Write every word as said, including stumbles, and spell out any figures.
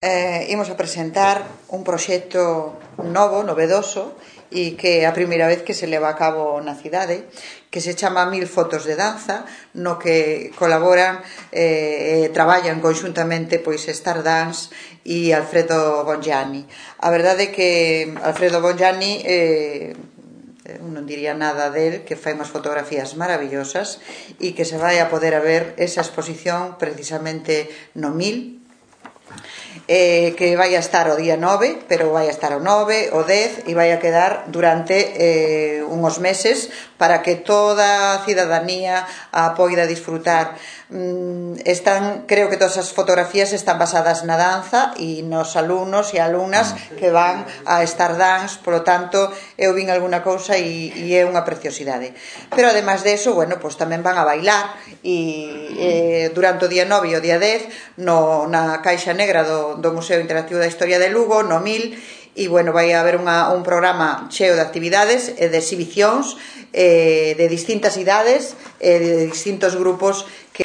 Eh, imos a presentar un proxecto novo, novedoso, e que é a primeira vez que se leva a cabo na cidade, que se chama Mil fotos de danza, no que colaboran e eh, traballan conxuntamente pois Stardance e Alfredo Bongianni. A verdade é que Alfredo Bongianni eh, non diría nada del, que fai unhas fotografías maravillosas e que se vai a poder a ver esa exposición precisamente no Mil, eh, que vai a estar o día nove, pero vai a estar o nove, o dez e vai a quedar durante eh, unhos meses para que toda a cidadanía a poida disfrutar. Mm, están, creo que todas as fotografías están basadas na danza e nos alumnos e alumnas que van a Stardance, polo tanto eu vin alguna cousa e, e é unha preciosidade. Pero ademais de eso, bueno, pues tamén van a bailar e eh, durante o día nove e o día dez no, na Caixa Negra do, do Museo Interactivo da Historia de Lugo, no Mil, e bueno, vai haber unha, un programa cheo de actividades e de exhibicións eh, de distintas idades e eh, de distintos grupos que